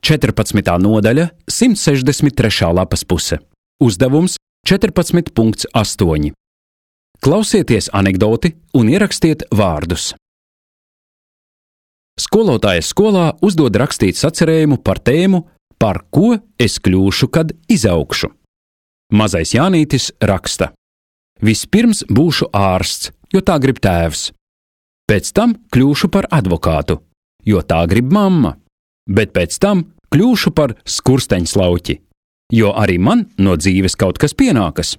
14. nodaļa, 163. lapas puse. Uzdevums 14.8. Klausieties anekdoti un ierakstiet vārdus. Skolotājas skolā uzdod rakstīt sacerējumu par tēmu "Par ko es kļūšu, kad izaugšu?" Mazais Jānītis raksta: "Vispirms būšu ārsts, jo tā grib tēvs. Pēc tam kļūšu par advokātu, jo tā grib mamma. Bet pēc tam kļūšu par skursteņslauķi, jo arī man no dzīves kaut kas pienākas.